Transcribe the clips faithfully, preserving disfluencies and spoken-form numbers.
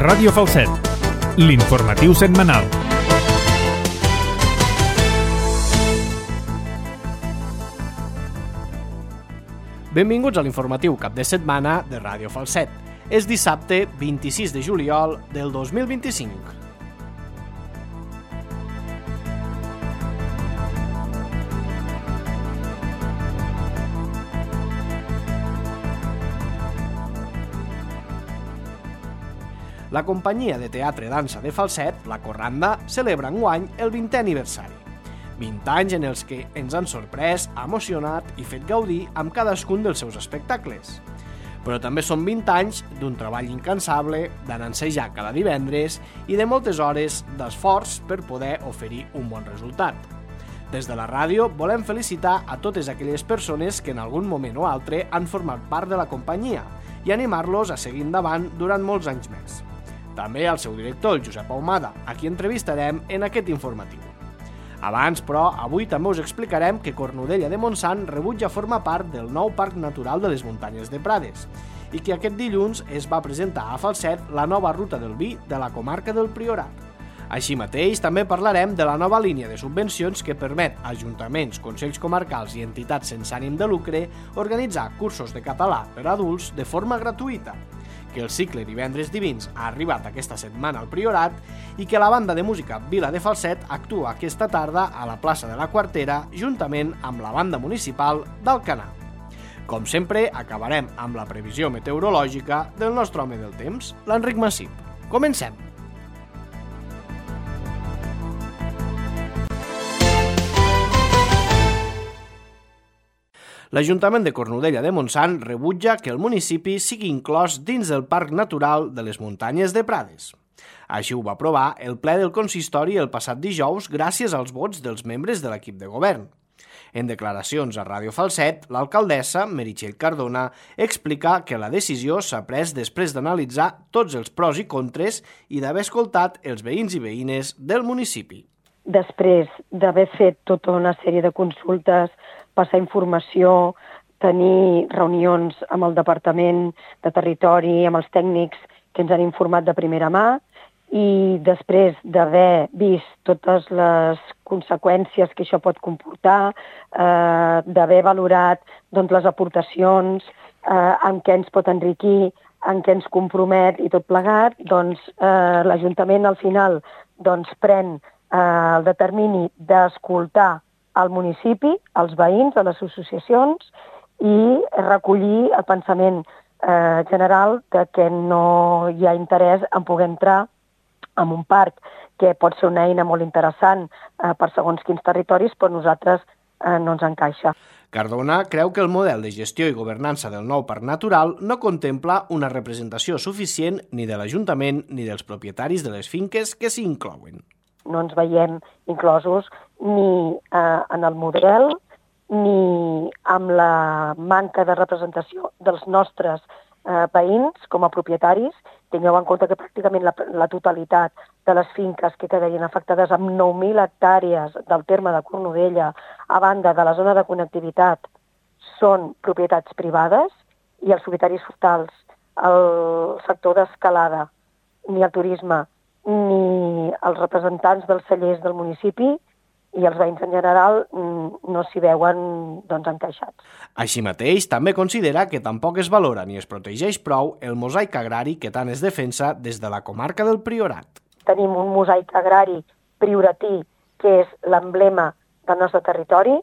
Ràdio Falset, l'informatiu setmanal. Benvinguts a l'informatiu cap de setmana de Ràdio Falset. És dissabte vint-i-sis de juliol del dos mil vint-i-cinc. La companyia de teatre dansa de Falset, la Corranda, celebra enguany el vintè aniversari. vint anys en els que ens han sorprès, emocionat i fet gaudir amb cadascun dels seus espectacles. Però també són vint anys d'un treball incansable, d'anansejar cada divendres i de moltes hores d'esforç per poder oferir un bon resultat. Des de la ràdio volem felicitar a totes aquelles persones que en algun moment o altre han format part de la companyia i animar-los a seguir endavant durant molts anys més. També al seu director, el Josep Ahumada, a qui entrevistarem en aquest informatiu. Abans, però, avui també us explicarem que Cornudella de Montsant rebutja formar part del nou Parc Natural de les Muntanyes de Prades i que aquest dilluns es va presentar a Falset la nova ruta del vi de la comarca del Priorat. Així mateix, també parlarem de la nova línia de subvencions que permet a ajuntaments, consells comarcals i entitats sense ànim de lucre organitzar cursos de català per a adults de forma gratuïta, que el cicle Divendres Divins ha arribat aquesta setmana al Priorat i que la banda de música Vila de Falset actua aquesta tarda a la plaça de la Quartera juntament amb la banda municipal d'Alcanar. Com sempre, acabarem amb la previsió meteorològica del nostre home del temps, l'Enric Massip. Comencem! L'Ajuntament de Cornudella de Montsant rebutja que el municipi sigui inclòs dins del Parc Natural de les Muntanyes de Prades. Així ho va aprovar el ple del consistori el passat dijous gràcies als vots dels membres de l'equip de govern. En declaracions a Ràdio Falset, l'alcaldessa, Meritxell Cardona, explica que la decisió s'ha pres després d'analitzar tots els pros i contres i d'haver escoltat els veïns i veïnes del municipi. Després d'haver fet tota una sèrie de consultes, passar informació, tenir reunions amb el Departament de Territori, amb els tècnics que ens han informat de primera mà, i després d'haver vist totes les conseqüències que això pot comportar, eh, d'haver valorat doncs, les aportacions, eh, en què ens pot enriquir, en què ens compromet i tot plegat, doncs eh, l'Ajuntament al final doncs, pren eh, el determini d'escoltar al municipi, als veïns, a les associacions i recollir el pensament eh, general de que no hi ha interès en poder entrar en un parc que pot ser una eina molt interessant eh, per segons quins territoris, però nosaltres eh, no ens encaixa. Cardona creu que el model de gestió i governança del nou parc natural no contempla una representació suficient ni de l'Ajuntament ni dels propietaris de les finques que s'hi inclouen. No ens veiem inclosos ni eh, en el model ni amb la manca de representació dels nostres eh, veïns com a propietaris. Tingueu en compte que pràcticament la, la totalitat de les finques que quedarien afectades amb nou mil hectàrees del terme de Cornudella, a banda de la zona de connectivitat, són propietats privades i els propietaris forestals, el sector d'escalada, ni el turisme, ni els representants dels cellers del municipi i els veïns en general no s'hi veuen doncs, encaixats. Així mateix, també considera que tampoc es valora ni es protegeix prou el mosaic agrari que tant es defensa des de la comarca del Priorat. Tenim un mosaic agrari prioratí que és l'emblema del nostre territori,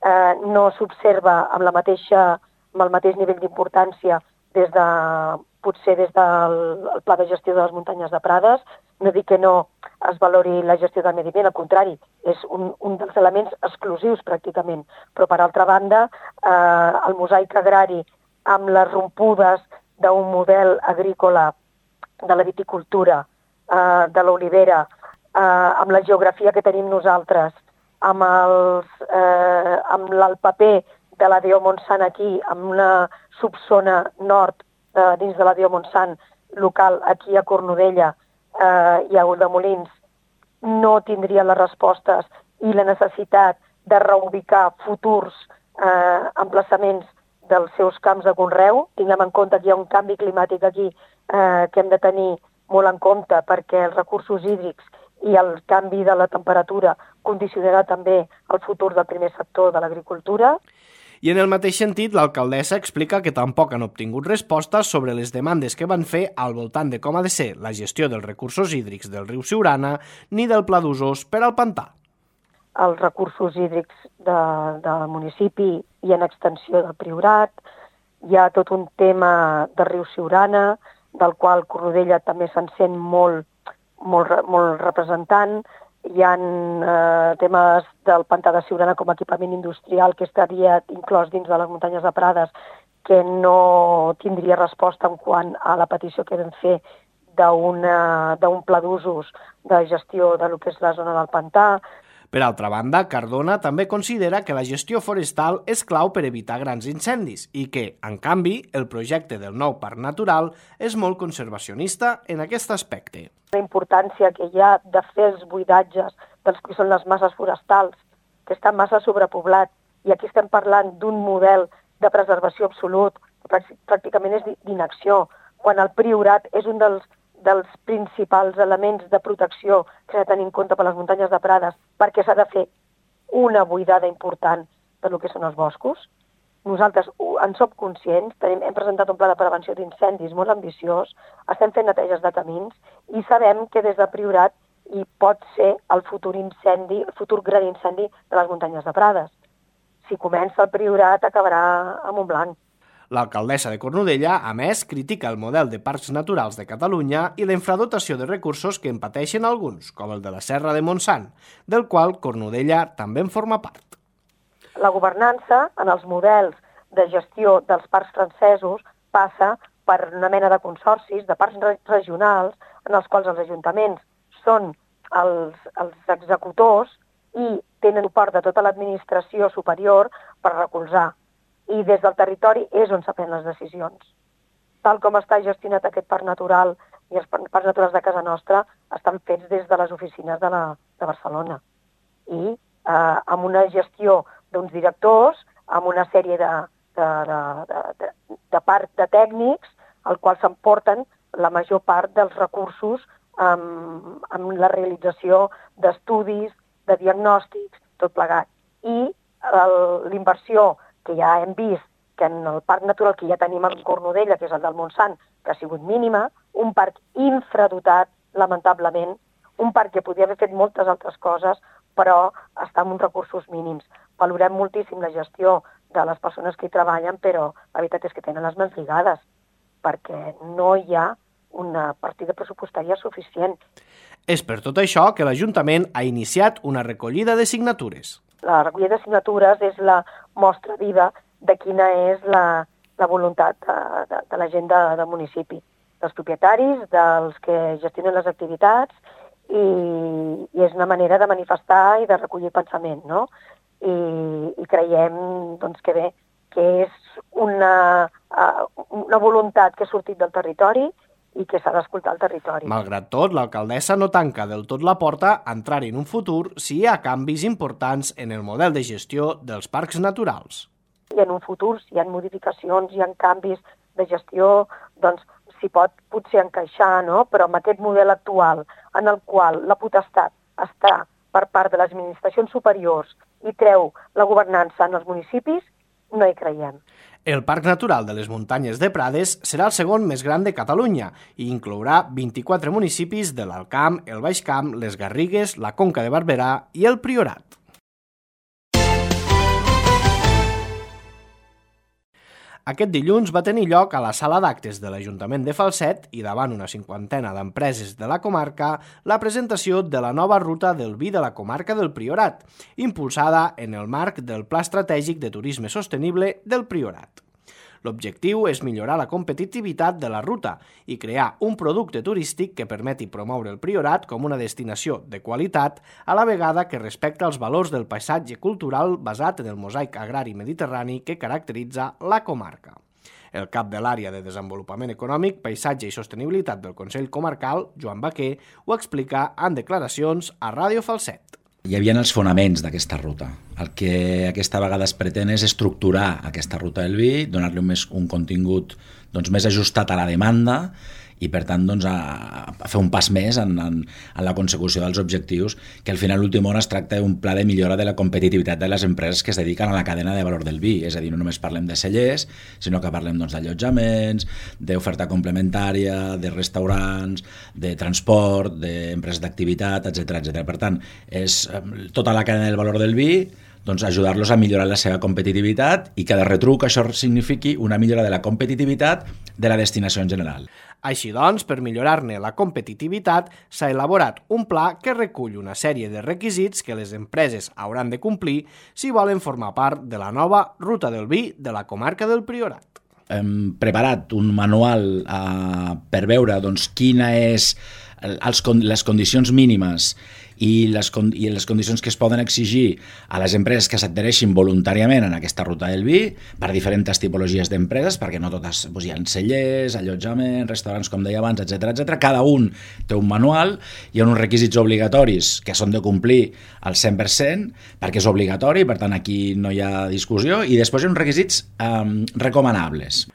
eh, no s'observa amb, la mateixa, amb el mateix nivell d'importància des de, potser des del Pla de Gestió de les Muntanyes de Prades. No dic que no es valori la gestió del medi ambient, al contrari, és un, un dels elements exclusius pràcticament. Però, per altra banda, eh, el mosaic agrari amb les rompudes d'un model agrícola de la viticultura, eh, de l'olivera, eh, amb la geografia que tenim nosaltres, amb, els, eh, amb el paper de la D O Montsant aquí, amb una subzona nord eh, dins de la D O Montsant local aquí a Cornudella, eh, i a Ulldemolins, no tindrien les respostes i la necessitat de reubicar futurs eh, emplaçaments dels seus camps de conreu. Tinguem en compte que hi ha un canvi climàtic aquí eh, que hem de tenir molt en compte perquè els recursos hídrics i el canvi de la temperatura condicionarà també el futur del primer sector de l'agricultura. I en el mateix sentit, l'alcaldessa explica que tampoc han obtingut respostes sobre les demandes que van fer al voltant de com ha de ser la gestió dels recursos hídrics del riu Siurana ni del pla d'usos per al pantà. Els recursos hídrics de, del municipi i en extensió del Priorat. Hi ha tot un tema del riu Siurana, del qual Cornudella també se'n sent molt, molt, molt representant. Hi ha eh, temes del pantà de Siurana com a equipament industrial que estaria inclòs dins de les muntanyes de Prades, que no tindria resposta en quant a la petició que vam fer d'un pla d'usos de gestió de lo que és la zona del pantà. Per altra banda, Cardona també considera que la gestió forestal és clau per evitar grans incendis i que, en canvi, el projecte del nou parc natural és molt conservacionista en aquest aspecte. La importància que hi ha de fer els buidatges dels que són les masses forestals, que està massa sobrepoblat, i aquí estem parlant d'un model de preservació absolut, que pràcticament és d'inacció, quan el Priorat és un dels dels principals elements de protecció que s'ha de tenir en compte per les muntanyes de Prades, perquè s'ha de fer una buidada important de lo que són els boscos. Nosaltres en som conscients, tenim, hem presentat un pla de prevenció d'incendis molt ambiciós, estem fent neteges de camins i sabem que des del Priorat hi pot ser el futur incendi, el futur gran incendi de les muntanyes de Prades. Si comença el Priorat, acabarà a Montblanc. L'alcaldessa de Cornudella, a més, critica el model de parcs naturals de Catalunya i la infradotació de recursos que en pateixen alguns, com el de la Serra de Montsant, del qual Cornudella també en forma part. La governança en els models de gestió dels parcs francesos passa per una mena de consorcis, de parcs regionals, en els quals els ajuntaments són els, els executors i tenen suport de tota l'administració superior per recolzar. I des del territori és on s'aprenen les decisions. Tal com està gestionat aquest parc natural i els parcs naturals de casa nostra estan fets des de les oficines de, la, de Barcelona. I eh, amb una gestió d'uns directors, amb una sèrie de, de, de, de, de, de part de tècnics, al qual s'emporten la major part dels recursos amb, amb la realització d'estudis, de diagnòstics, tot plegat. I l'inversió que ja hem vist que en el parc natural que ja tenim a Cornudella, que és el del Montsant, que ha sigut mínima, un parc infradotat, lamentablement, un parc que podria haver fet moltes altres coses, però està amb uns recursos mínims. Valorem moltíssim la gestió de les persones que hi treballen, però la veritat és que tenen les mans lligades, perquè no hi ha una partida pressupostària suficient. És per tot això que l'Ajuntament ha iniciat una recollida de signatures. La recollida de signatures és la mostra viva de quina és la, la voluntat de, de, de la gent de, del municipi, dels propietaris, dels que gestionen les activitats, i, i és una manera de manifestar i de recollir pensament, no? I, i creiem doncs, que bé, que és una, una voluntat que ha sortit del territori i que s'ha d'escoltar el territori. Malgrat tot, l'alcaldessa no tanca del tot la porta a entrar en un futur si hi ha canvis importants en el model de gestió dels parcs naturals. I en un futur, si hi ha modificacions, hi ha canvis de gestió, doncs s'hi pot potser encaixar, no? Però amb aquest model actual, en el qual la potestat està per part de les administracions superiors i treu la governança en els municipis, no hi creiem. El Parc Natural de les Muntanyes de Prades serà el segon més gran de Catalunya i inclourà vint-i-quatre municipis de l'Alt Camp, el Baix Camp, les Garrigues, la Conca de Barberà i el Priorat. Aquest dilluns va tenir lloc a la sala d'actes de l'Ajuntament de Falset i davant una cinquantena d'empreses de la comarca la presentació de la nova ruta del vi de la comarca del Priorat, impulsada en el marc del Pla Estratègic de Turisme Sostenible del Priorat. L'objectiu és millorar la competitivitat de la ruta i crear un producte turístic que permeti promoure el Priorat com una destinació de qualitat a la vegada que respecta els valors del paisatge cultural basat en el mosaic agrari mediterrani que caracteritza la comarca. El cap de l'Àrea de Desenvolupament Econòmic, Paisatge i Sostenibilitat del Consell Comarcal, Joan Baquer, ho explica en declaracions a Ràdio Falset. Hi havia els fonaments d'aquesta ruta. El que aquesta vegada es pretén és estructurar aquesta ruta del vi, donar-li un, més, un contingut doncs, més ajustat a la demanda i per tant doncs, a, a fer un pas més en, en, en la consecució dels objectius, que al final l'últim hora es tracta d'un pla de millora de la competitivitat de les empreses que es dediquen a la cadena de valor del vi, és a dir, no només parlem de cellers, sinó que parlem doncs, d'allotjaments, d'oferta complementària, de restaurants, de transport, d'empreses d'activitat, etcètera, etcètera. Per tant, és tota la cadena del valor del vi, doncs ajudar-los a millorar la seva competitivitat i que de retruc això signifiqui una millora de la competitivitat de la destinació en general. Així doncs, per millorar-ne la competitivitat, s'ha elaborat un pla que recull una sèrie de requisits que les empreses hauran de complir si volen formar part de la nova Ruta del Vi de la comarca del Priorat. Hem preparat un manual eh, per veure doncs, quina és els, les condicions mínimes i les, i les condicions que es poden exigir a les empreses que s'adhereixin voluntàriament en aquesta ruta del vi per diferents tipologies d'empreses, perquè no totes doncs, hi ha cellers, allotjaments, restaurants, com deia abans, etcètera, etcètera. Cada un té un manual, hi ha uns requisits obligatoris que són de complir al cent per cent, perquè és obligatori, per tant aquí no hi ha discussió, i després hi ha uns requisits eh, recomanables.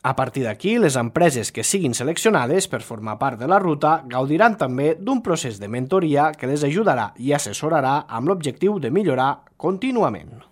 A partir d'aquí, les empreses que siguin seleccionades per formar part de la ruta gaudiran també d'un procés de mentoria que les ajudarà i assessorarà amb l'objectiu de millorar contínuament.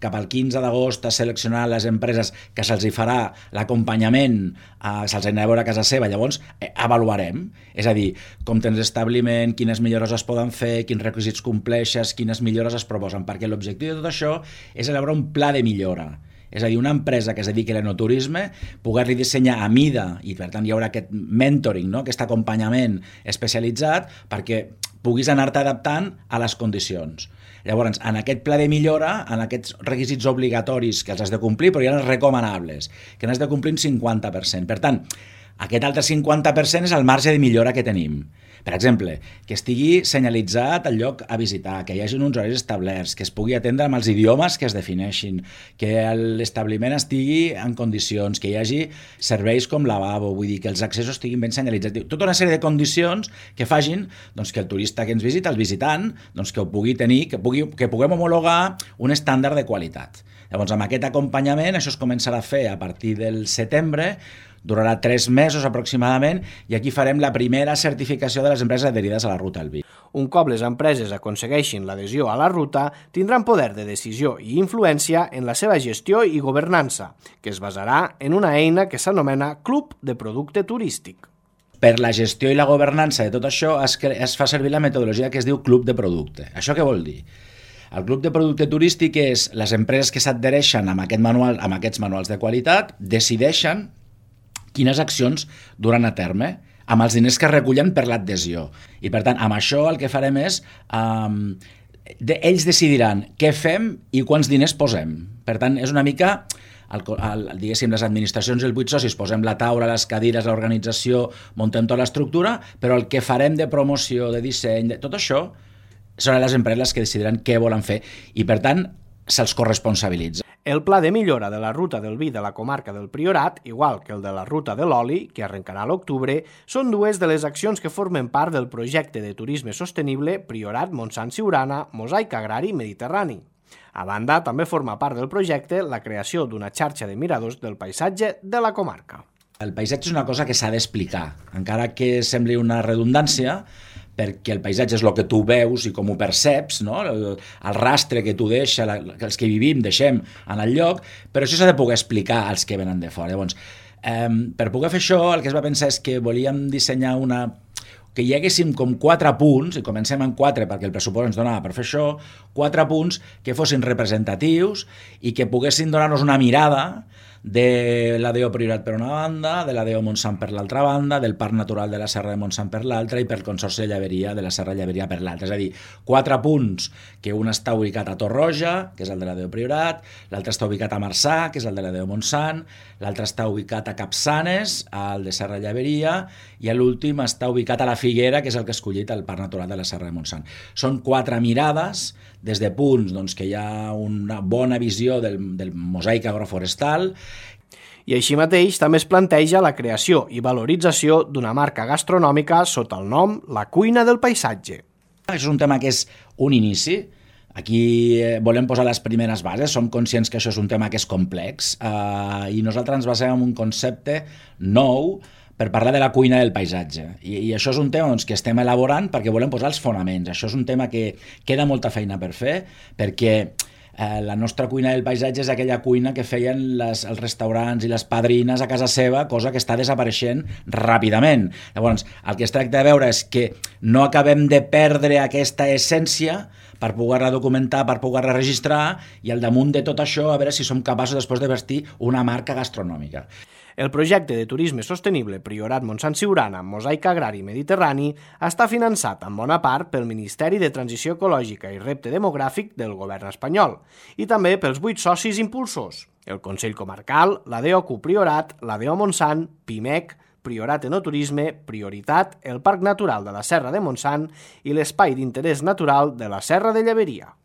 Cap al quinze d'agost es seleccionaran les empreses que se'ls hi farà l'acompanyament, eh, se'ls anirà a veure a casa seva, llavors eh, avaluarem, és a dir, com tens establiment, quines millores es poden fer, quins requisits compleixes, quines millores es proposen, perquè l'objectiu de tot això és elaborar un pla de millora. És a dir, una empresa que es dediqui a l'enoturisme, poder-li dissenyar a mida, i per tant hi haurà aquest mentoring, no? Aquest acompanyament especialitzat perquè puguis anar-te adaptant a les condicions. Llavors, en aquest pla de millora, en aquests requisits obligatoris que els has de complir, però hi ha els recomanables, que n'has de complir un cinquanta per cent. Per tant, aquest altre cinquanta per cent és el marge de millora que tenim. Per exemple, que estigui senyalitzat el lloc a visitar, que hi hagi uns horaris establerts, que es pugui atendre amb els idiomes que es defineixin, que l'establiment estigui en condicions, que hi hagi serveis com lavabo, vull dir, que els accessos estiguin ben senyalitzats. Tota una sèrie de condicions que facin doncs, que el turista que ens visita, el visitant, doncs, que ho pugui tenir, que, pugui, que puguem homologar un estàndard de qualitat. Llavors, amb aquest acompanyament, això es començarà a fer a partir del setembre, durarà tres mesos aproximadament, i aquí farem la primera certificació de les empreses adherides a la Ruta del Vi. Un cop les empreses aconsegueixin l'adhesió a la ruta, tindran poder de decisió i influència en la seva gestió i governança, que es basarà en una eina que s'anomena Club de Producte Turístic. Per la gestió i la governança de tot això es, es fa servir la metodologia que es diu Club de Producte. Això què vol dir? El Club de Producte Turístic és les empreses que s'adhereixen amb, aquest manual, amb aquests manuals de qualitat, decideixen quines accions duran a terme amb els diners que recullen per l'adhesió. I per tant, amb això el que farem és um, de, ells decidiran què fem i quants diners posem. Per tant, és una mica, el, el, diguéssim, les administracions i els vuit socis posem la taula, les cadires, l'organització, muntem tota l'estructura, però el que farem de promoció, de disseny, de tot això, són les empreses que decidiran què volen fer i, per tant, se'ls corresponsabilitza. El pla de millora de la ruta del vi de la comarca del Priorat, igual que el de la ruta de l'oli, que arrencarà a l'octubre, són dues de les accions que formen part del projecte de turisme sostenible Priorat Montsant Siurana, Mosaic Agrari Mediterrani. A banda, també forma part del projecte la creació d'una xarxa de miradors del paisatge de la comarca. El paisatge és una cosa que s'ha d'explicar, encara que sembli una redundància, perquè el paisatge és el que tu veus i com ho perceps, no? el, el rastre que tu deixa, la, que els que vivim deixem en el lloc, però això s'ha de poder explicar als que venen de fora. Llavors, eh, per poder fer això, el que es va pensar és que volíem dissenyar una... que hi haguéssim com quatre punts, i comencem en quatre perquè el pressupost ens donava per fer això, quatre punts que fossin representatius i que poguessin donar-nos una mirada de l'A D O Priorat per una banda, de l'A D O Montsant per l'altra banda, del Parc Natural de la Serra de Montsant per l'altra i pel Consorci de Llaveria de la Serra Llaveria per l'altra. És a dir, quatre punts, que un està ubicat a Torroja, que és el de l'A D O Priorat, l'altre està ubicat a Marçà, que és el de l'A D O Montsant, l'altre està ubicat a Capçanes, al de Serra Llaveria, i l'últim està ubicat a la Figuera, que és el que ha escollit el Parc Natural de la Serra de Montsant. Són quatre mirades, des de punts doncs, que hi ha una bona visió del, del mosaic agroforestal. I així mateix també es planteja la creació i valorització d'una marca gastronòmica sota el nom La Cuina del Paisatge. Això és un tema que és un inici. Aquí volem posar les primeres bases, som conscients que això és un tema que és complex eh, i nosaltres ens basem en un concepte nou per parlar de la cuina del paisatge. I, i això és un tema doncs, que estem elaborant perquè volem posar els fonaments. Això és un tema que queda molta feina per fer, perquè eh, la nostra cuina del paisatge és aquella cuina que feien les, els restaurants i les padrines a casa seva, cosa que està desapareixent ràpidament. Llavors, el que es tracta de veure és que no acabem de perdre aquesta essència per poder-la documentar, per poder-la registrar, i al damunt de tot això a veure si som capaços després de vestir una marca gastronòmica. El projecte de turisme sostenible Priorat Montsant Siurana, Mosaic Agrari Mediterrani, està finançat en bona part pel Ministeri de Transició Ecològica i Repte Demogràfic del govern espanyol i també pels vuit socis impulsors, el Consell Comarcal, la D O C U Priorat, la D O Montsant, PIMEC, Priorat Enoturisme, Prioritat, el Parc Natural de la Serra de Montsant i l'Espai d'Interès Natural de la Serra de Lleberia.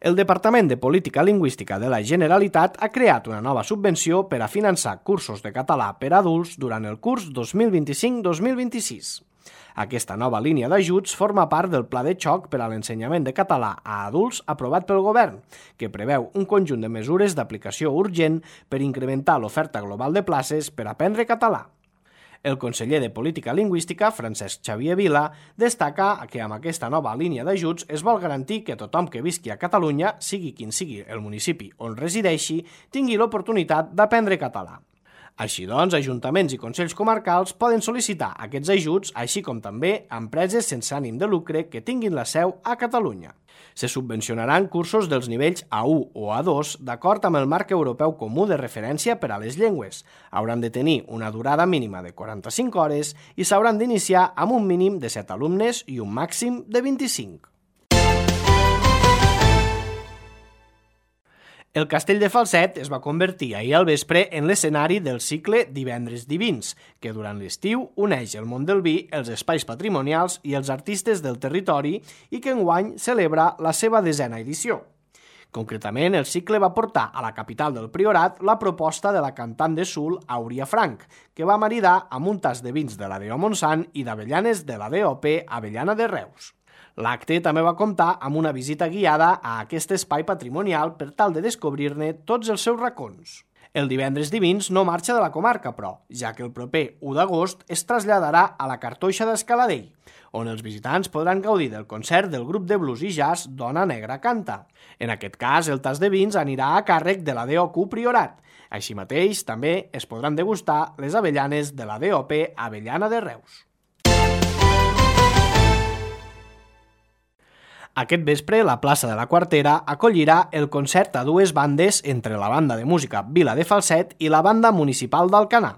El Departament de Política Lingüística de la Generalitat ha creat una nova subvenció per a finançar cursos de català per a adults durant el curs dos mil vint-i-cinc dos mil vint-i-sis. Aquesta nova línia d'ajuts forma part del Pla de Xoc per a l'ensenyament de català a adults aprovat pel Govern, que preveu un conjunt de mesures d'aplicació urgent per incrementar l'oferta global de places per aprendre català. El conseller de Política Lingüística, Francesc Xavier Vila, destaca que amb aquesta nova línia d'ajuts es vol garantir que tothom que visqui a Catalunya, sigui quin sigui el municipi on resideixi, tingui l'oportunitat d'aprendre català. Així doncs, ajuntaments i consells comarcals poden sol·licitar aquests ajuts, així com també empreses sense ànim de lucre que tinguin la seu a Catalunya. Se subvencionaran cursos dels nivells A u o A dos d'acord amb el marc europeu comú de referència per a les llengües. Hauran de tenir una durada mínima de quaranta-cinc hores i s'hauran d'iniciar amb un mínim de set alumnes i un màxim de vint-i-cinc. El Castell de Falset es va convertir ahir al vespre en l'escenari del cicle Divendres Divins, que durant l'estiu uneix el món del vi, els espais patrimonials i els artistes del territori i que enguany celebra la seva desena edició. Concretament, el cicle va portar a la capital del Priorat la proposta de la cantant de soul Àuria Frank, que va maridar amb un tas de vins de la D O Montsant i d'avellanes de la D O P Avellana de Reus. L'acte també va comptar amb una visita guiada a aquest espai patrimonial per tal de descobrir-ne tots els seus racons. El Divendres Divins no marxa de la comarca, però, ja que el proper u d'agost es traslladarà a la Cartoixa d'Escaladell, on els visitants podran gaudir del concert del grup de blues i jazz Dona Negra Canta. En aquest cas, el tas de vins anirà a càrrec de la D O C U Priorat. Així mateix, també es podran degustar les avellanes de la D O P Avellana de Reus. Aquest vespre, la plaça de la Quartera acollirà el concert a dues bandes entre la banda de música Vila de Falset i la banda municipal d'Alcanar.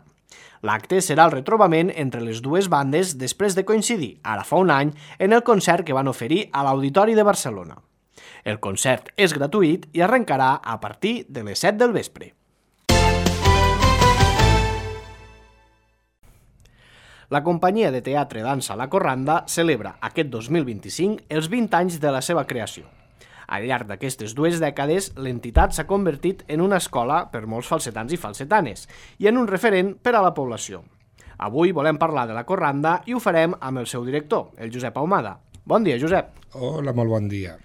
L'acte serà el retrobament entre les dues bandes després de coincidir, ara fa un any, en el concert que van oferir a l'Auditori de Barcelona. El concert és gratuït i arrencarà a partir de les set del vespre. La companyia de teatre dansa La Corranda celebra aquest dos mil vint-i-cinc els vint anys de la seva creació. Al llarg d'aquestes dues dècades, l'entitat s'ha convertit en una escola per molts falsetans i falsetanes i en un referent per a la població. Avui volem parlar de La Corranda i ho farem amb el seu director, el Josep Ahumada. Bon dia, Josep. Hola, molt bon dia.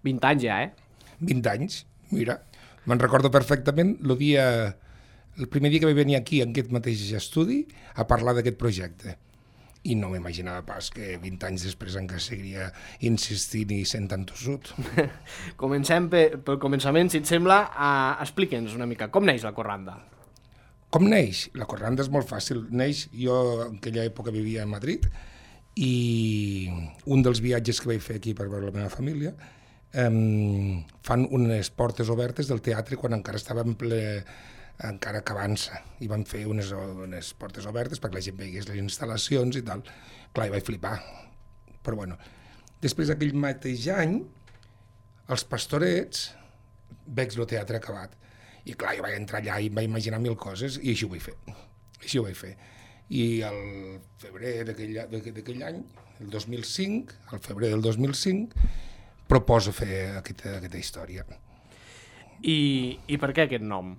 vint anys ja, eh? vint anys, mira. Me'n recordo perfectament el dia... el primer dia que vaig venir aquí, en aquest mateix estudi, a parlar d'aquest projecte. I no m'imaginava pas que vint anys després encara seguiria insistint i sent tan tossut. Comencem pel, pel començament, si et sembla. Uh, Explica'ns una mica, com neix La Corranda? Com neix? La Corranda és molt fàcil. Neix, jo en aquella època vivia a Madrid i un dels viatges que vaig fer aquí per veure la meva família um, fan unes portes obertes del teatre quan encara estava en ple... encara que avança, i van fer unes, unes portes obertes perquè la gent veigués les instal·lacions i tal. Clar, hi vaig flipar. Però bueno, després d'aquell mateix any, els Pastorets, veig el teatre acabat. I clar, jo vaig entrar allà i em vaig imaginar mil coses i així ho vaig fer. Així ho vaig fer. I el febrer d'aquell any, el dos mil cinc, el febrer del dos mil cinc, proposo fer aquesta, aquesta història. I, I per què aquest nom?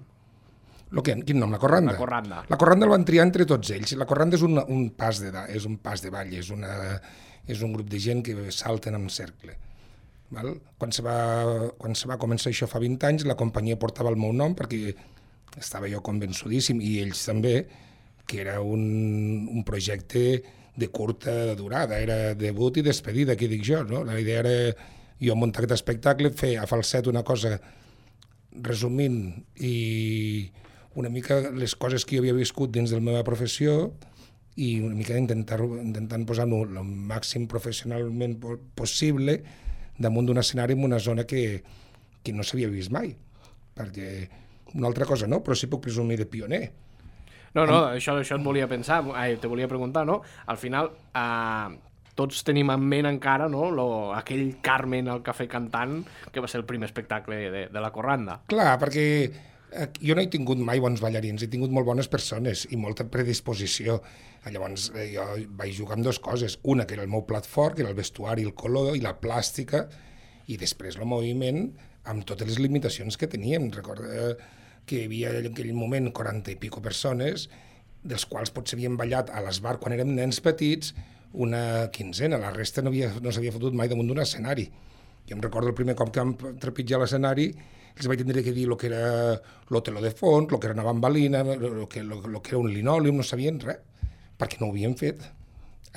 Lo que, quin nom? La Corranda? La Corranda. La Corranda el van triar entre tots ells. La Corranda és un, un, pas, de, és un pas de ball, és, una, és un grup de gent que salten en cercle. Val? Quan, se va, quan se va començar això fa vint anys, la companyia portava el meu nom perquè estava jo convençudíssim, i ells també, que era un, un projecte de curta durada, era debut i despedida, que dic jo, no? La idea era jo muntar aquest espectacle, fer a falset una cosa resumint i una mica les coses que jo havia viscut dins de la meva professió i una mica intentar, intentant posar-ho el màxim professionalment possible damunt d'un escenari en una zona que, que no s'havia vist mai. Perquè una altra cosa no, però sí puc presumir de pioner. No, no, això, això et volia pensar, ai, te volia preguntar, no? Al final, eh, tots tenim en ment encara, no?, Lo, aquell Carmen al Cafè cantant, que va ser el primer espectacle de, de la Corranda. Clar, perquè eh, jo no he tingut mai bons ballarins, he tingut molt bones persones i molta predisposició. Llavors eh, jo vaig jugar amb dues coses, una que era el meu plat fort, que era el vestuari, el color i la plàstica, i després el moviment amb totes les limitacions que teníem. Recorda que hi havia en aquell moment quaranta i pico persones, dels quals potser havien ballat a l'esbar quan érem nens petits una quinzena, la resta no, havia, no s'havia fotut mai damunt d'un escenari. Jo em recordo el primer cop que vam trepitjar l'escenari, els vaig tindre que dir el que era lo teló de fons, el que era una bambalina, el que, lo, lo que era un linòleum, no sabien res, perquè no ho havien fet.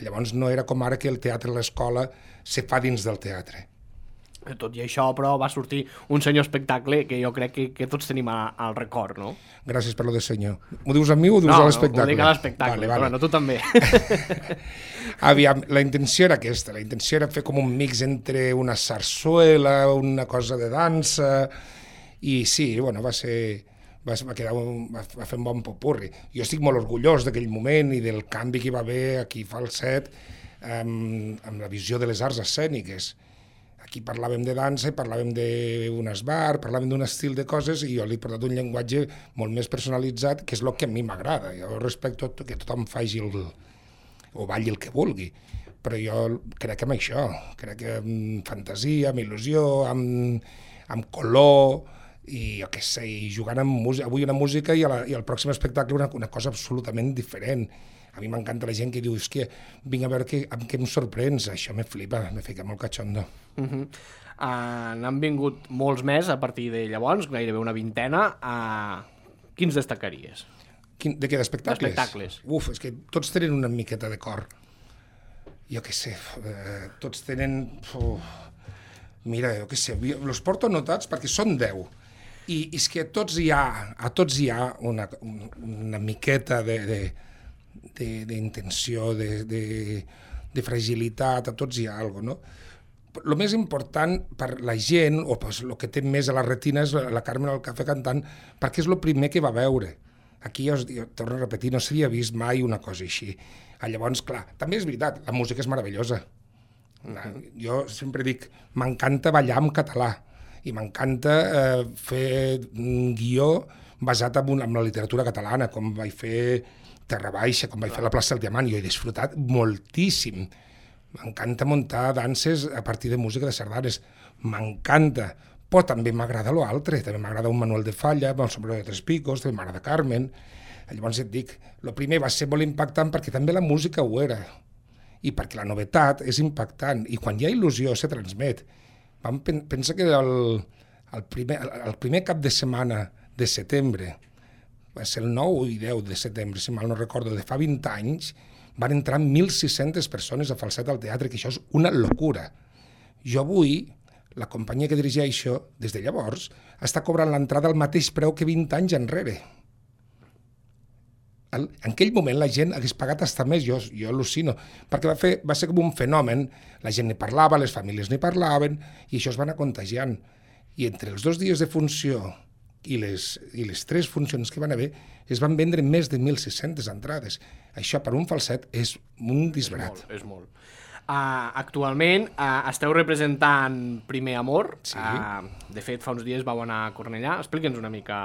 Llavors no era com ara que el teatre a l'escola se fa dins del teatre. Tot i això, però, va sortir un senyor espectacle que jo crec que, que tots tenim a, al record, no? Gràcies per lo de senyor. M'ho dius a mi o ho dius no, a l'espectacle? No, ho dic a l'espectacle, vale, vale. Però no, tu també. Aviam, la intenció era aquesta, la intenció era fer com un mix entre una sarsuela, una cosa de dansa, i sí, bueno, va ser... Va, va, quedar un, va, va fer un bon popurri. Jo estic molt orgullós d'aquell moment i del canvi que hi va haver aquí a Falset amb, amb la visió de les arts escèniques. Aquí parlàvem de dansa, parlàvem d'un esbar, parlàvem d'un estil de coses i jo li he portat un llenguatge molt més personalitzat, que és el que a mi m'agrada. Jo respecto que tothom faci el, o balli el que vulgui, però jo crec que amb això, crec que amb fantasia, amb il·lusió, amb, amb color, i jo què sé, i jugant amb música, avui una música i, a la, i al pròxim espectacle una, una cosa absolutament diferent. A mi m'encanta la gent que diu, és que vinc a veure que, amb què em sorprens, això me flipa, me fica molt catxondo. Uh -huh. uh, N'han vingut molts més a partir de llavors, gairebé una vintena. Uh, quins destacaries? Quin, de què, d'espectacles? D'espectacles. Uf, és que tots tenen una miqueta de cor. Jo què sé, eh, tots tenen... Uf, mira, jo què sé, els porto anotats perquè són deu. I és que a tots hi ha, a tots hi ha una, una miqueta de... de d'intenció, de, de, de fragilitat, a tots hi ha alguna cosa, no? El més important per la gent, o pues, el que té més a la retina és la Carmen al Cafè cantant, perquè és el primer que va veure. Aquí, jo, jo torno a repetir, no s'havia vist mai una cosa així. Llavors, clar, també és veritat, la música és meravellosa. Jo sempre dic, m'encanta ballar en català, i m'encanta eh, fer un guió basat en, una, en la literatura catalana, com vaig fer Terra Baixa, com vaig fer la plaça del Diamant, jo he disfrutat moltíssim. M'encanta muntar danses a partir de música de sardanes, m'encanta, però també m'agrada l'altre, també m'agrada un Manuel de Falla, el Sombrero de Tres Picos, també m'agrada Carmen. Llavors et dic, el primer va ser molt impactant perquè també la música ho era, i perquè la novetat és impactant, i quan hi ha il·lusió se transmet. Vam pen pensar que el, el, primer, el primer cap de setmana de setembre, va ser el nou i deu de setembre, si mal no recordo, de fa vint anys, van entrar mil sis-centes persones a Falset al teatre, que això és una locura. Jo avui, la companyia que dirigeixo, des de llavors, està cobrant l'entrada al mateix preu que vint anys enrere. En aquell moment la gent hagués pagat hasta més, jo, jo al·lucino, perquè va, fer, va ser com un fenomen, la gent ne parlava, les famílies ne parlaven, i això es va anar contagiant. I entre els dos dies de funció i les, i les tres funcions que van haver, es van vendre més de mil sis-centes entrades. Això per un falset és un disbarat. És molt, és molt. Uh, actualment uh, esteu representant Primer Amor. Sí. Uh, de fet, fa uns dies vau anar a Cornellà. Explica'ns una mica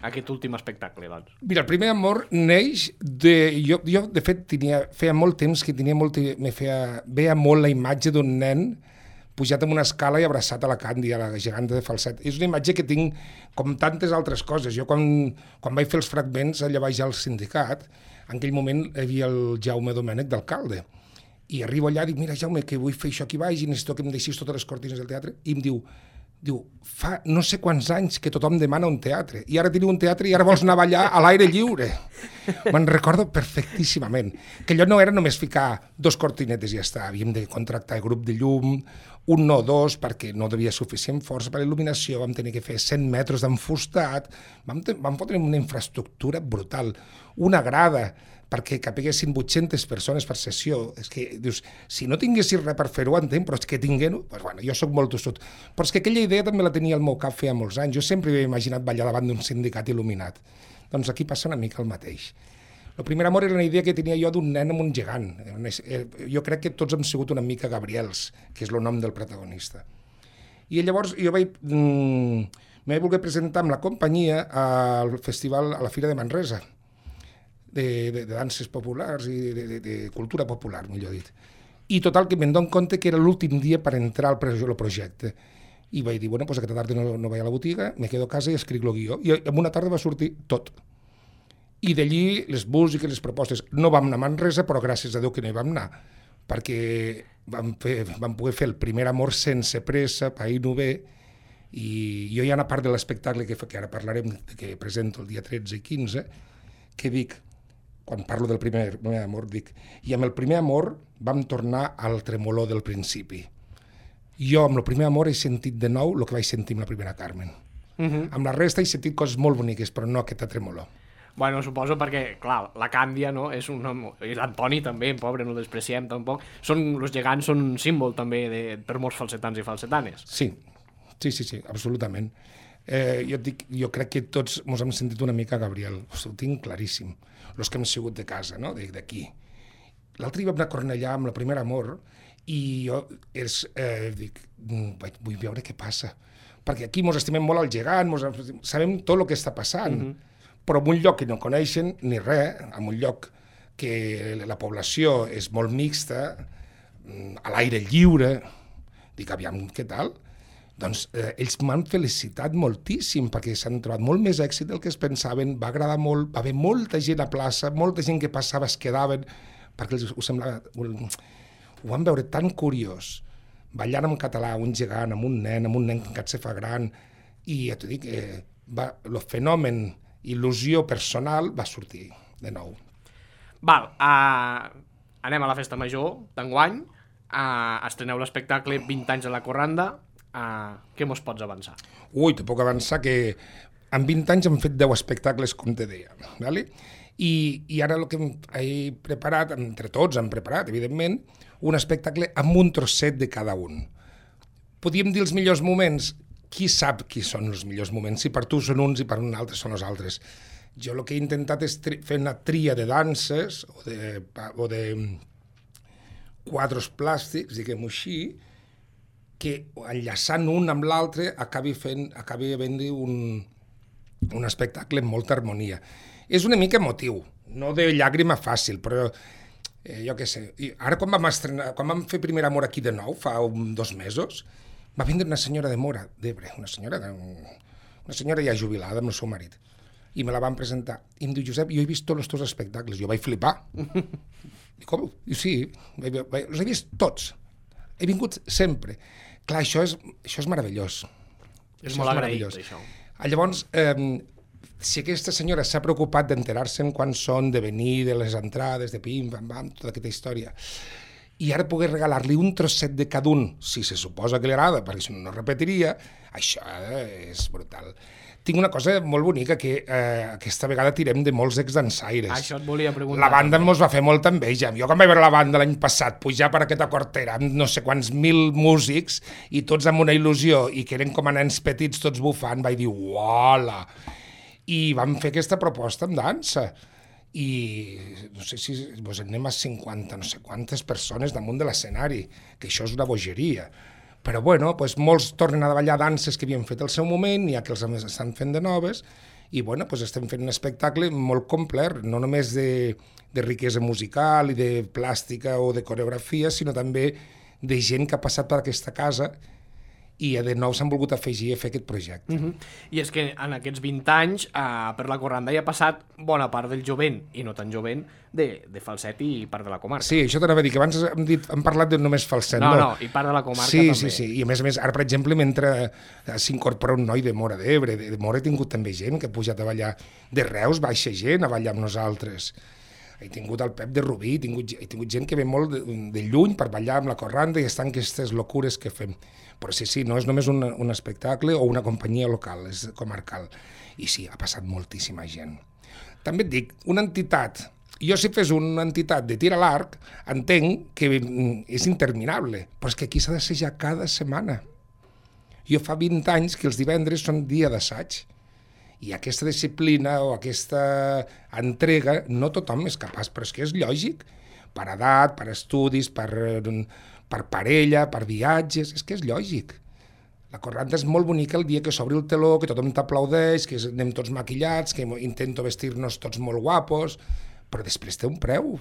aquest últim espectacle, doncs. Mira, el Primer Amor neix de... Jo, jo de fet, tenia, feia molt temps que tenia molt, me feia, veia molt la imatge d'un nen pujat amb una escala i abraçat a la Candy, a la geganta de Falset. És una imatge que tinc com tantes altres coses. Jo quan, quan vaig fer els fragments allà baix al sindicat, en aquell moment hi havia el Jaume Domènech d'alcalde. I arribo allà i dic, mira Jaume, que vull fer això aquí baix i necessito que em deixis totes les cortines del teatre. I em diu, diu, fa no sé quants anys que tothom demana un teatre, i ara teniu un teatre i ara vols anar a ballar a l'aire lliure. Me'n recordo perfectíssimament, que allò no era només ficar dos cortinetes i ja està, havíem de contractar el grup de llum, un no dos, perquè no devia suficient força per a il·luminació, vam tenir que fer cent metres d'enfustat, vam, vam fotre una infraestructura brutal, una grada, perquè capiguessin vuit-centes persones per sessió. És que dius, si no tinguessis res per fer-ho, entenc, però és que tinguent-ho, doncs bueno, jo soc molt tossut. Però és que aquella idea també la tenia al meu cap feia molts anys. Jo sempre havia imaginat ballar davant d'un sindicat il·luminat. Doncs aquí passa una mica el mateix. El primer amor era una idea que tenia jo d'un nen amb un gegant. Jo crec que tots hem sigut una mica Gabriels, que és el nom del protagonista. I llavors jo vaig... Mmm, m'he volgut presentar amb la companyia al festival, a la Fira de Manresa, de, de, de danses populars i de, de, de cultura popular, millor dit. I total, que me'n dono compte que era l'últim dia per entrar al projecte. I vaig dir, bueno, doncs aquesta tarda no, no vaig a la botiga, me quedo a casa i escric el guió. I en una tarda va sortir tot. I d'allí les músiques, les propostes. No vam anar a Manresa, però gràcies a Déu que no hi vam anar, perquè vam, fer, vam poder fer el primer amor sense pressa, pair no bé, i jo hi ha una part de l'espectacle que, que ara parlarem, que presento el dia tretze i quinze, que dic, quan parlo del primer, primer amor, dic, i amb el primer amor vam tornar al tremolor del principi. Jo amb el primer amor he sentit de nou el que vaig sentir amb la primera Carmen. Uh-huh. Amb la resta he sentit coses molt boniques, però no aquesta tremolor. Bueno, suposo perquè, clar, la Càndia, no?, és un nom... I l'Antoni també, pobre, no despreciem tampoc. Són, els gegants són un símbol també de, per molts falsetans i falsetanes. Sí, sí, sí, sí, absolutament. Eh, jo, dic, jo crec que tots ens hem sentit una mica Gabriel, ho tinc claríssim. Els que hem sigut de casa, no?, d'aquí. L'altre dia vam anar a Cornellà amb el primer amor i jo és, eh, dic, vull veure què passa. Perquè aquí ens estimem molt al gegant, mos, sabem tot el que està passant. Mm-hmm. Però en un lloc que no coneixen ni res, en un lloc que la població és molt mixta, a l'aire lliure, dic, aviam, què tal? Doncs eh, ells m'han felicitat moltíssim, perquè s'han trobat molt més èxit del que es pensaven, va agradar molt, va haver molta gent a plaça, molta gent que passava es quedaven, perquè els, ho, semblava, ho, ho van veure tan curiós, ballant en català, un gegant, amb un nen, amb un nen que encara se fa gran, i ja t'ho dic, eh, va, el fenomen il·lusió personal va sortir de nou. Val, uh, anem a la festa major d'enguany, uh, estreneu l'espectacle vint anys a la Corranda, uh, què mos pots avançar? Ui, te puc avançar que en vint anys hem fet deu espectacles, com te deia, ¿vale? I, i ara el que he preparat, entre tots hem preparat, evidentment, un espectacle amb un trosset de cada un. Podíem dir els millors moments. Qui sap qui són els millors moments? Si per tu són uns i per un altre són els altres. Jo el que he intentat és fer una tria de danses o de, o de quadres plàstics, diguem-ho així, que enllaçant un amb l'altre acabi fent, acabi havent-hi un, un espectacle amb molta harmonia. És una mica emotiu, no de llàgrima fàcil, però eh, jo què sé. I ara quan vam, estrenar, quan vam fer Primer Amor aquí de nou, fa un, dos mesos, va vindre una senyora de Mora, d'Ebre, una senyora, de, una senyora ja jubilada amb el seu marit, i me la van presentar. I em diu, Josep, jo he vist tots els teus espectacles. Jo vaig flipar. Dic, com? I sí, els he vist tots. He vingut sempre. Clar, això és, això és meravellós. És això molt és agraït, això. Llavors, eh, si aquesta senyora s'ha preocupat d'enterar-se'n quan són, de venir, de les entrades, de pim, pam, pam, tota aquesta història, i ara poder regalar-li un trosset de cada un, si se suposa que li agrada, perquè si no, no repetiria, això és brutal. Tinc una cosa molt bonica, que eh, aquesta vegada tirem de molts exdansaires. Això et volia preguntar. La banda mos va fer molta enveja. Jo quan vaig veure la banda l'any passat pujar per aquesta cortera amb no sé quants mil músics i tots amb una il·lusió i que eren com a nens petits tots bufant, vaig dir, uala! I vam fer aquesta proposta amb dansa. I no sé si doncs anem a cinquanta, no sé quantes persones damunt de l'escenari, que això és una bogeria. Però bueno, doncs molts tornen a ballar danses que havien fet al seu moment, n'hi ha que els estan fent de noves, i bueno, doncs estem fent un espectacle molt complet, no només de, de riquesa musical i de plàstica o de coreografia, sinó també de gent que ha passat per aquesta casa i de nou s'han volgut afegir a fer aquest projecte. Uh -huh. I és que en aquests vint anys eh, per la Corranda hi ha passat bona part del jovent, i no tan jovent, de, de Falset i part de la comarca. Sí, això t'anava a dir, que abans hem, dit, hem parlat de només Falset. No, no, no, i part de la comarca sí, també. Sí, sí, i a més a més, ara per exemple, mentre s'incorpora un noi de Móra d'Ebre, de, de Móra he tingut també gent que ha pujat a ballar, de Reus baixa gent a ballar amb nosaltres. He tingut el Pep de Rubí, he tingut, he tingut gent que ve molt de, de lluny per ballar amb la Corranda i estan aquestes locures que fem. Però sí, sí, no és només un, un espectacle o una companyia local, és comarcal. I sí, ha passat moltíssima gent. També et dic, una entitat, jo si fes una entitat de tir a l'arc, entenc que és interminable, però és que aquí s'ha d'assajar cada setmana. Jo fa vint anys que els divendres són dia d'assaig, i aquesta disciplina o aquesta entrega no tothom és capaç, però és que és lògic, per edat, per estudis, per, per parella, per viatges, és que és lògic. La Corranda és molt bonica el dia que s'obri el teló, que tothom t'aplaudeix, que anem tots maquillats, que intento vestir-nos tots molt guapos, però després té un preu.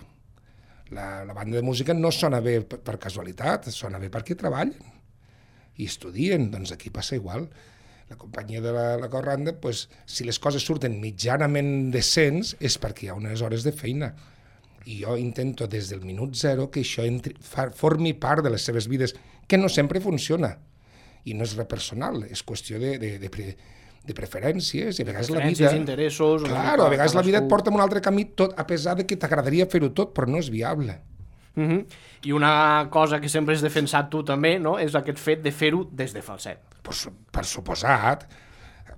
La, la banda de música no sona bé per, per casualitat, sona bé perquè treballen i estudien, doncs aquí passa igual. La companyia de la, la Corranda, pues, si les coses surten mitjanament decents és perquè hi ha unes hores de feina. I jo intento des del minut zero que això entri, fa, formi part de les seves vides, que no sempre funciona. I no és res personal, és qüestió de, de, de, pre, de preferències, i a vegades la vida... interessos... Claro, a vegades la vida et porta en un altre camí, tot, a pesar de que t'agradaria fer-ho tot, però no és viable. Uh -huh. I una cosa que sempre has defensat tu també, no?, és aquest fet de fer-ho des de Falset. Pues, per suposat,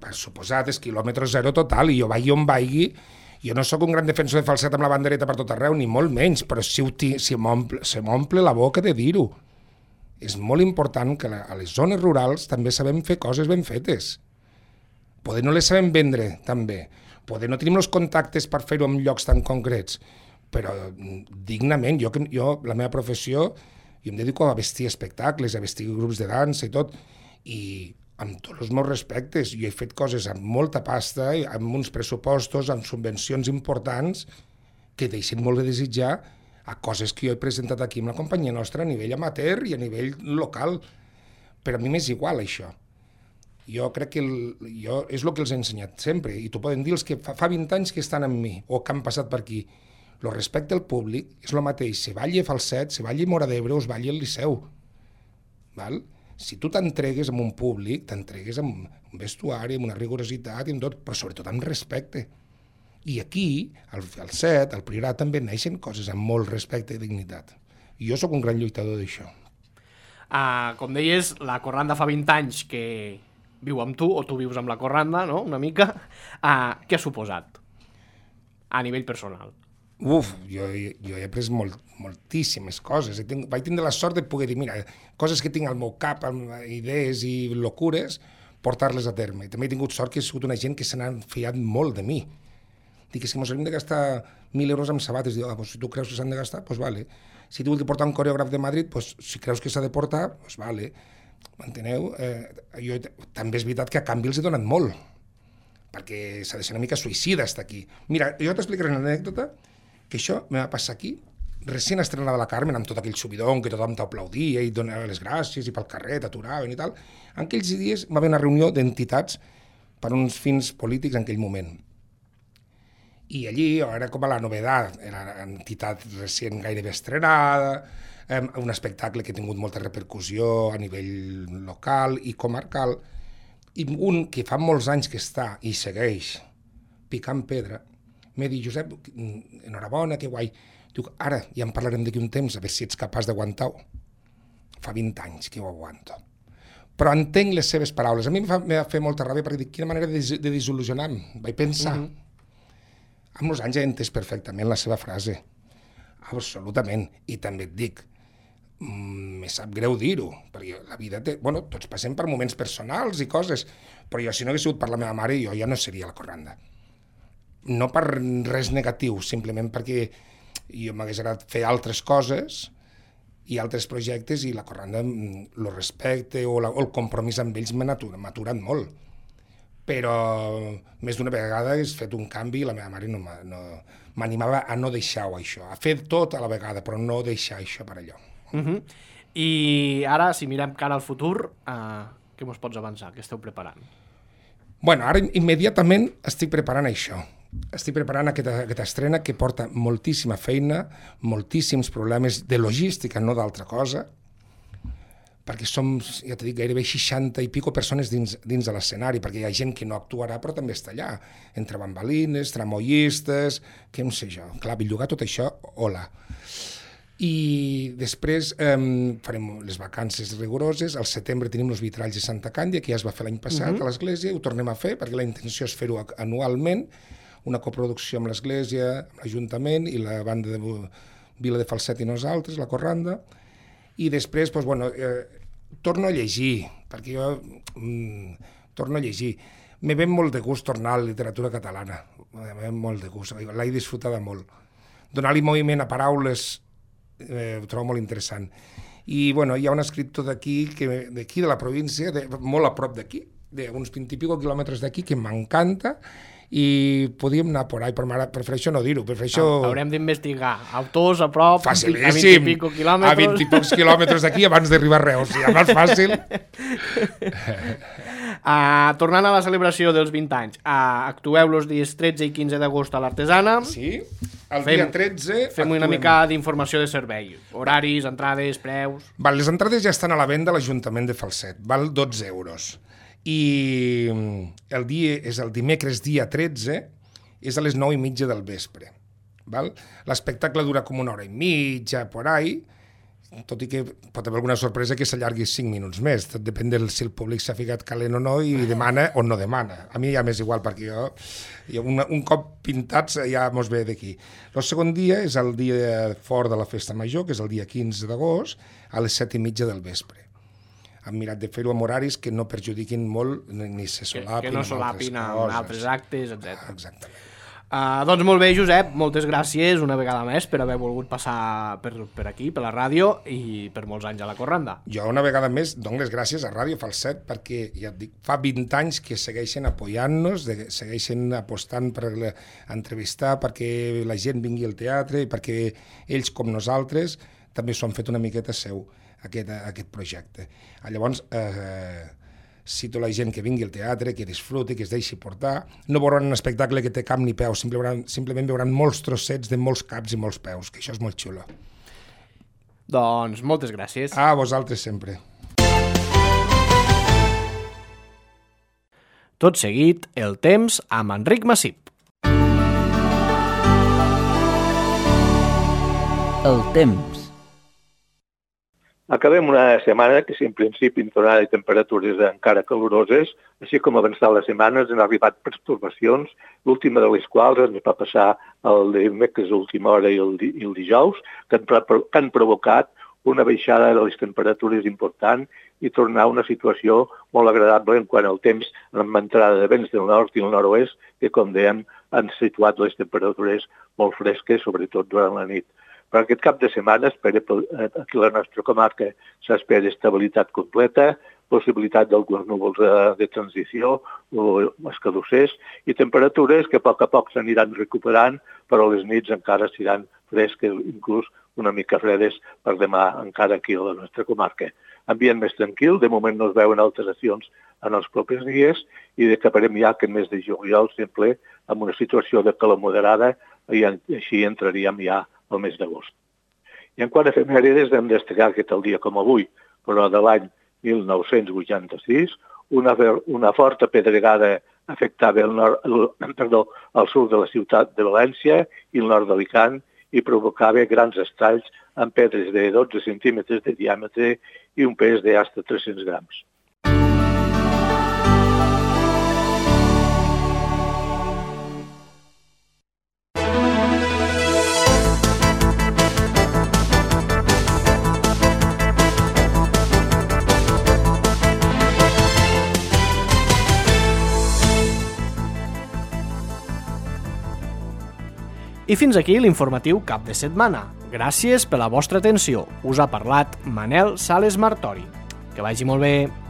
per suposat, és quilòmetre zero total, i jo vagi on vagi, jo no sóc un gran defensor de Falset amb la bandereta per tot arreu, ni molt menys, però si, si m'omple si la boca de dir-ho. És molt important que a les zones rurals també sabem fer coses ben fetes. Poder no les sabem vendre, també. Poder no tenim els contactes per fer-ho en llocs tan concrets, però dignament. Jo, jo, la meva professió, jo em dedico a vestir espectacles, a vestir grups de dansa i tot, i amb tots els meus respectes, jo he fet coses amb molta pasta, amb uns pressupostos, amb subvencions importants, que deixen molt de desitjar a coses que jo he presentat aquí amb la companyia nostra a nivell amateur i a nivell local. Però a mi m'és igual, això. Jo crec que el, jo, és el que els he ensenyat sempre, i t'ho poden dir els que fa, fa vint anys que estan amb mi, o que han passat per aquí. El respecte al públic és el mateix, se balli a Falset, se balli a Móra d'Ebre o es balli al Liceu. Val? Si tu t'entregues amb un públic, t'entregues amb un vestuari, amb una rigorositat, i amb tot, però sobretot amb respecte. I aquí, al Falset, al Priorat, també neixen coses amb molt respecte i dignitat. I jo sóc un gran lluitador d'això. Uh, com deies, la Corranda fa vint anys que viu amb tu, o tu vius amb la Corranda, no?, una mica. Uh, què ha suposat a nivell personal? Uf, jo, jo he après molt, moltíssimes coses. Tinc, vaig tindre la sort de poder dir, mira, coses que tinc al meu cap, idees i locures, portar-les a terme. I també he tingut sort que he sigut una gent que se n'ha fiat molt de mi. Dic, és que ens hem de gastar mil euros amb sabates. Dic, ah, pues, si tu creus que s'han de gastar, doncs pues vale. Si tu vull portar un coreògraf de Madrid, pues, si creus que s'ha de portar, doncs pues vale. M'enteneu? Eh, jo, també és veritat que a canvi els he donat molt, perquè s'ha de ser una mica suïcida estar aquí. Mira, jo t'explicaré una anècdota, que això me va passar aquí, recient estrenada la Carmen, amb tot aquell subidon, que tothom t'aplaudia i donava les gràcies, i pel carrer t'aturaven i tal. En aquells dies va haver una reunió d'entitats per uns fins polítics en aquell moment. I allí era com a la novedat, era una entitat recient gairebé estrenada, un espectacle que ha tingut molta repercussió a nivell local i comarcal, i un que fa molts anys que està i segueix picant pedra, m'he dit, Josep, enhorabona, que guai. Diu, ara ja en parlarem d'aquí un temps, a veure si ets capaç d'aguantar-ho. Fa vint anys que ho aguanto. Però entenc les seves paraules. A mi em va fer molta ràbia perquè dic, quina manera de, de desil·lusionar-me. Vaig pensar. Mm -hmm. Amb els anys he entès perfectament la seva frase. Absolutament. I també et dic, me sap greu dir-ho, perquè la vida té... Bueno, tots passem per moments personals i coses, però jo si no hagués sigut per la meva mare, jo ja no seria la Corranda. No per res negatiu, simplement perquè jo m'hagués agradat fer altres coses i altres projectes, i la Corranda, el respecte o, la, o el compromís amb ells m'ha aturat molt. Però més d'una vegada he fet un canvi i la meva mare no m'animava a no deixar-ho, això, a fer tot a la vegada, però no deixar això per allò. Uh -huh. I ara, si mirem cara al futur, uh, Què mos pots avançar? Què esteu preparant? Bueno, ara immediatament estic preparant això. Estic preparant aquesta, aquesta estrena que porta moltíssima feina, moltíssims problemes de logística, no d'altra cosa, perquè som, ja t'he dit, gairebé seixanta i pico persones dins, dins de l'escenari, perquè hi ha gent que no actuarà però també està allà, entre bambalines, tramoyistes, què no sé jo. Clar, bellugar tot això, hola. I després eh, farem les vacances rigoroses, al setembre tenim els vitralls de Santa Càndia, que ja es va fer l'any passat uh-huh. a l'església, ho tornem a fer, perquè la intenció és fer-ho anualment, una coproducció amb l'església, amb l'Ajuntament i la banda de Vila de Falset i nosaltres, la Corranda, i després, doncs, bueno, eh, torno a llegir, perquè jo mm, torno a llegir. Me ve molt de gust tornar a la literatura catalana, me ve molt de gust, l'he disfrutada molt. Donar-li moviment a paraules Eh, ho trobo molt interessant. I bueno, hi ha un escriptor d'aquí, d'aquí de la província, de, molt a prop d'aquí, d'uns vint i pico quilòmetres d'aquí, que m'encanta, i podíem anar por ahí, però ara prefereixo no dir-ho, prefereixo... Haurem d'investigar. Autors a prop, facilíssim, a vint i pico quilòmetres... A vint i pocs quilòmetres d'aquí abans d'arribar a Reus, ja més fàcil. Uh, tornant a la celebració dels vint anys, uh, actueu els dies tretze i quinze d'agost a l'Artesana. Sí, el fem, dia tretze... Fem una mica d'informació de servei. Horaris, entrades, preus... Val, les entrades ja estan a la venda a l'Ajuntament de Falset, val dotze euros. I el dia és el dimecres dia tretze, és a les nou i mitja del vespre. L'espectacle dura com una hora i mitja, por ahí, tot i que pot haver alguna sorpresa que s'allargui cinc minuts més, tot depèn de si el públic s'ha ficat calent o no i demana o no demana. A mi ja m'és igual, perquè jo, jo un, un cop pintats ja mos ve d'aquí. El segon dia és el dia fort de la Festa Major, que és el dia quinze d'agost, a les set i mitja del vespre. Hem mirat de fer-ho amb horaris que no perjudiquin molt ni se solapin, que, que no solapin amb altres, amb altres actes, etcètera. Exactament. Uh, doncs molt bé, Josep, moltes gràcies una vegada més per haver volgut passar per, per aquí, per la ràdio, i per molts anys a la Corranda. Jo una vegada més dono les gràcies a Ràdio Falset, perquè ja et dic, fa vint anys que segueixen apoyant-nos, segueixen apostant per entrevistar, perquè la gent vingui al teatre, i perquè ells, com nosaltres, també s'ho han fet una miqueta seu, aquest, aquest projecte. Llavors, eh, cito la gent que vingui al teatre, que disfruti, que es deixi portar. No veuran un espectacle que té cap ni peus, simplement, simplement veuran molts trossets de molts caps i molts peus, que això és molt xulo. Doncs moltes gràcies. A vosaltres sempre. Tot seguit, el temps amb Enric Massip. El temps. Acabem una setmana que, si en principi en tornada de temperatures encara caloroses, així com avançar les setmanes han arribat pertorbacions, l'última de les quals ens va passar el dimecres a última hora i el, i el dijous, que han, que han provocat una baixada de les temperatures important i tornar a una situació molt agradable en quant al temps amb entrada de vents del nord i el nord-oest, que, com dèiem, han situat les temperatures molt fresques, sobretot durant la nit. Per aquest cap de setmana, espera, aquí a la nostra comarca s'espera estabilitat completa, possibilitat d'alguns núvols de, de transició o escadussers i temperatures que a poc a poc s'aniran recuperant, però les nits encara seran fresques, inclús una mica fredes per demà encara aquí a la nostra comarca. Ambient més tranquil, de moment no es veuen alteracions en els propers dies i acabarem ja aquest mes de juliol sempre amb una situació de calor moderada i així entraríem ja al mes d'agost. I en quant a efemèrides hem destacat que tal dia com avui, però de l'any mil nou-cents vuitanta-sis, una, una forta pedregada afectava el, nord, el, perdó, el sud de la ciutat de València i el nord d'Alicant i provocava grans estralls amb pedres de dotze centímetres de diàmetre i un pes de fins a tres-cents grams. I fins aquí l'informatiu cap de setmana. Gràcies per la vostra atenció. Us ha parlat Manel Sales Martori. Que vagi molt bé.